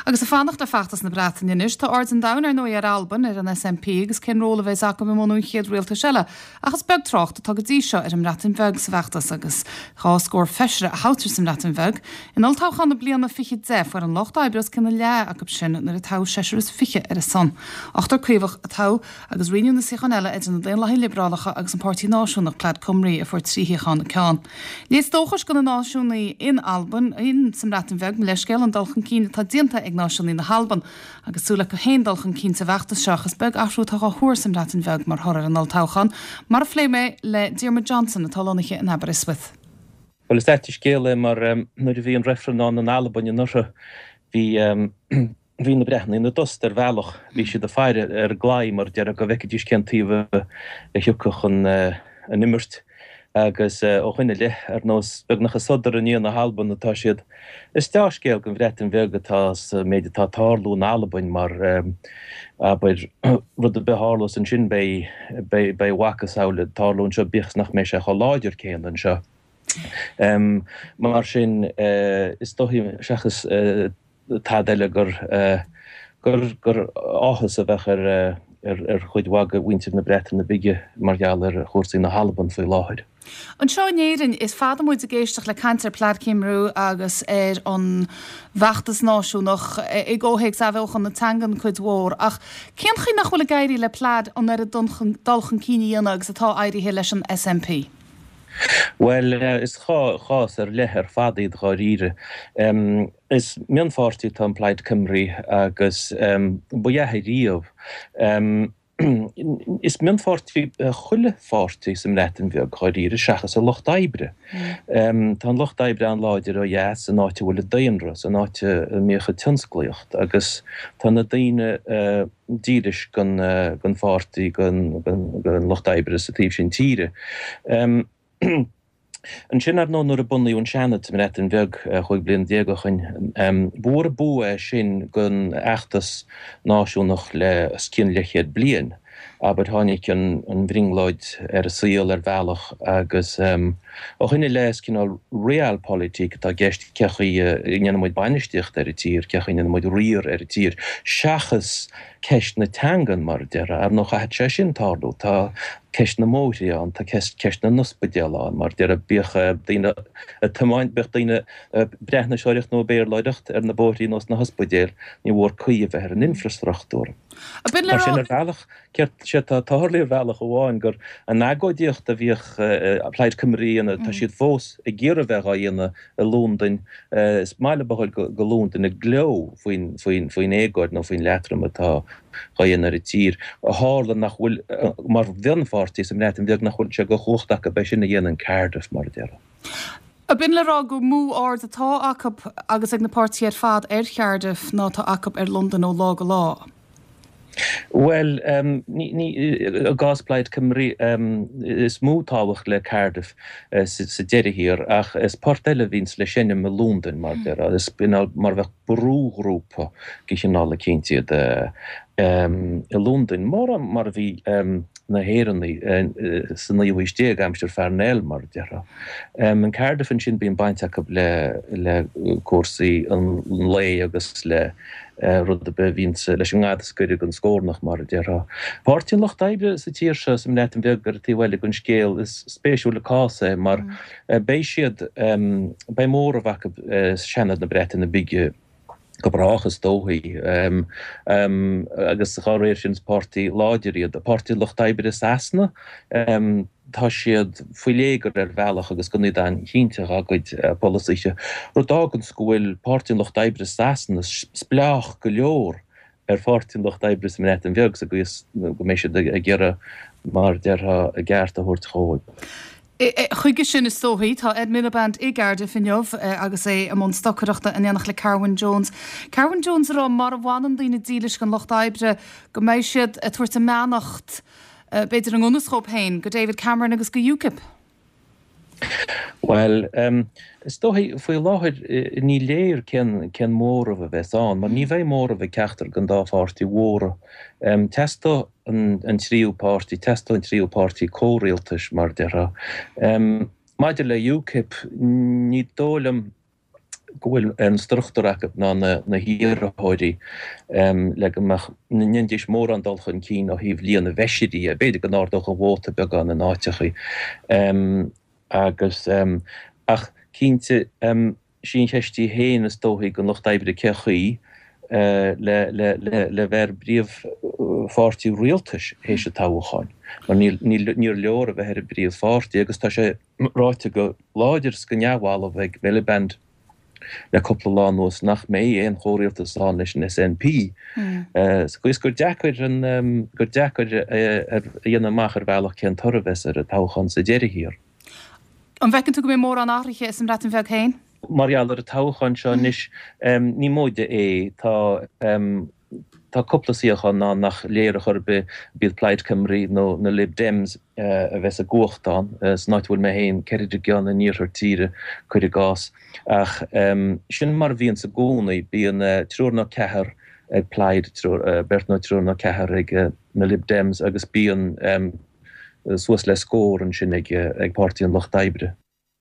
Agus ag fanacht le feachtas na Breataine anois, tá aird an domhain ar ndóigh ar Albain, ar an SNP agus cén ról a bheas acu i mbunú an chéad rialtais eile. Ach is beag trácht atá go dtí seo ar an mBreatain Bheag sa bhfeachtas agus 2 scór feisire a thoghtar sa mBreatain Bheag. In olltoghchán na bliana 2010 fuair an Lucht Oibre os cionn a leath acu sin nuair a toghadh seisear is fiche ar a son. Ochtar Caomhach a toghadh agus roinneadh na suíocháin eile idir na Daonlathaigh Liobrálacha agus an Páirtí Náisiúnach, Plaid Cymru, a fuair 3 shuíochán an ceann. Léas dóchais do na náisiúnaí in Albain, in sa mBreatain Bheag, mo leithscéal, an dul chun cinn atá déanta ag náisiúnaí na hAlban agus súil acu féin dul chun cinn sa bhfeachtas seo ach is beag athrú atá á thuar sa mBreatain Bheag mar thoradh ar an olltoghchán, mar a phléigh mé le Diarmuid Johnson atá lonnaithe in Aberystwyth. Bhuel, is ait an scéal é mar nuair a bhí an reifreann ann in Albain anuraidh bhí Bhí na Breatnaigh ina dtost ar bhealach, bhí siad ag faire ar an gclaí mar a déarfá go bhfeicfidís cén taobh a thiocfadh an imirt agus ó shoin i leith, ar nós, beagnach ag sodar i ndiaidh na hAlban atá siad. Is deá-scéal don Bhreatain Bheag atá sa méid atá ag tarlú in Albain mar, abair, rud ar bith a tharlós ansin beidh, beidh a mhacasamhail ag tarlú anseo bíodh is nach mbeidh sé chomh láidir céanna anseo. Mar sin, is dóichí, seachas. tada eile gur gur áthas a bheadh ar ar chuid mhaith de mhuintir na Breataine Bige mar gheall ar chúrsaí na hAlban faoi láthair. Anseo in Éirinn, is fada muid ag éisteacht le caint ar Plaid Cymru agus ar an bhfeachtas náisiúnach, i gcomhthéacs athbheochan na teangan cuid mhór, ach cén chaoi nach bhfuil ag éirí le Plaid an oiread dul chun cinn a dhéanamh agus atá éirithe leis an SNP? Bhuel, is chás ar leith ar fad iad dháiríre. Is mionpháirtí atá in Plaid Cymru agus ba ea é riamh. Is mionpháirtí chuile pháirtí sa mBreatain Bheag dháiríre seachas an Lucht Oibre. Tá an Lucht Oibre an-láidir ó dheas, san áit a bhfuil an daonra, san áit a mbíodh an tionsclaíocht agus tá na daoine, dílis don pháirtí, don Lucht Oibre sa taobh sin tíre. Ansin, ar ndóigh, nuair a bunaíodh an Seanad sa mBreatain Bheag 15 bliana ó shoin, ba mhór an bua é sin don fheachtas náisiúnach le os cionn leathchéad bliain. Abair, tháinig an bhrionglóid ar an saol ar bhealach agus ó shoin i leith is cineál realpolitik atá i gceist, cé chaoi a ndéanann muid bainistíocht ar an tír, cé chaoi a ndéanann muid riar ar an tír, seachas ceist na teangan, mar a déarfá. Ar ndóigh, caithfidh sé sin tarlú. Tá ceist na mbóithre ann, tá ceist na n-ospidéal ann, mar a déarfá. Bíodh daoine ag tiomáint, bíodh daoine ag Breatnaiseoireacht nó ag Béarlóireacht ar na bóithrí nó sna hospidéil, ní mhór caoi a bheith ar an infreastruchtúr. Mar sin, ar bhealach, Céard sé atá ag tarlú ar bhealach amháin gur an agóidíocht a bhíodh Plaid Cymru a dhéanamh, tá siad fós ag iarraidh bheith dhá dhéanamh i Londain. Is maith leo a ghoil go Londain ag gleo faoin faoin éagóir nó faoin leatrom atá dhá dhéanamh ar an tír. Tharla nach bhfuil, mar mhionpháirtí sa mBreatain Bheag, nach bhfuil sé de chumhacht acu é sin a dhéanamh in Cardiff, mar a déarfá. Ab in le rá gur mó aird atá acu agus ag na páirtithe ar fad ar Chardiff ná atá acu ar Londain ó lá go lá? Bhuel, i gcás Plaid Cymru, is mó tábhacht le Cardiff sa deireadh thiar, ach is port eile a bhíonns le seinm i Londain, mar a déarfá. Is mar a bheadh brúghrúpa de chineál eicínt iad i Londain, mórán mar a bhí na hÉireannaigh sa naoú haois déag, aimsir Pharnell, mar a déarfá. In Cardiff ansin bíonn baint acu le cúrsaí an lae agus le rud ar bith a bhíonns leis an ngad is gaire don scornach, mar a déarfá. Páirtí an Lucht Oibre sa tír seo, sa mBreatain Bheag, ar an taobh eile den scéal, is spéisiúil an cás é mar beidh siad, beidh móramh acu i Seanad na Breataine Bige go brách is dóichí agus dá réir sin is páirtí láidir iad. Páirtí an Lucht Oibre i Sasana, tá siad faoi léigear ar bhealach agus gan iad an-chinnte dhá gcuid polasaithe, rud a fháganns go bhfuil Páirtí an Lucht Oibre i Sasana spleách go leor ar Pháirtí an Lucht Oibre sa mBreatain Bheag sa gcaoi is go mbeidh siad ag iarraidh, mar a déarfá, a gceart a thabhairt dhóibh. Chuige sin, is dóichí, tá Ed Miliband i gCardiff inniu agus é i mbun stocaireachta in éineacht le Carwyn Jones. Carwyn Jones ag rá mara bhfanann daoine dílis don Lucht Oibre go mbeidh siad ag tabhairt a mbeannacht, b'fhéidir i ngan fhios dhóibh féin, go David Cameron agus go UKIP. Bhuel, is dóichí, faoi láthair ní léir cén cén móramh a bheas ann, mar ní bheidh móramh ag ceachtar den dá pháirtí mhóra. Teastóidh an tríú páirtí, teastóidh an tríú páirtí comhrialtais, mar a déarfá. Maidir le UKIP, ní dóigh liom. go bhfuil an struchtúr acu ná na hiarrthóirí le go mbeadh, ndéanfaidís mórán dul chun cinn ó thaobh líon na bhfeisirí dhe. B'fhéidir go n-ardódh an vóta beagán in áiteachaí agus, ach cinnte, sí an cheist í féin is dóichí don Lucht Oibre cén chaoi le le bheith ar an bpríomhpháirtí rialtais théis an toghcháin mar níor leor a bheith ar an bpríomhpháirtí agus tá sé ráite go láidir is go neamhbhalbh ag Miliband le cúpla lá anuas nach mbeidh aon chomhrialtas ann leis an SNP. Sa chaoi is gur deacair an gur deacair a dhéanamh amach ar bhealach cén toradh a bheas ar an toghchán sa deireadh thiar. An bhfeiceann tú go mbeidh mórán athraithe sa mBreatain Bheag féin? Mar gheall ar an toghchán seo anois, ní móide é. Tá tá cúpla suíochán ann nach léir ar chor ar bith b'iad Plaid Cymru nó na Lib Dems a bheas i gcumhacht ann. San áit a bhfuil mé féin, Ceredigion in iarthar tíre, cuir i gcás. Ach sin mar a bhíonns i gcónaí, bíonn triúr nó ceathar ag Plaid, beirt nó triúr nó ceathar ag na Lib Dems agus bíonn suas le scór ansin ag Páirtí an Lucht Oibre.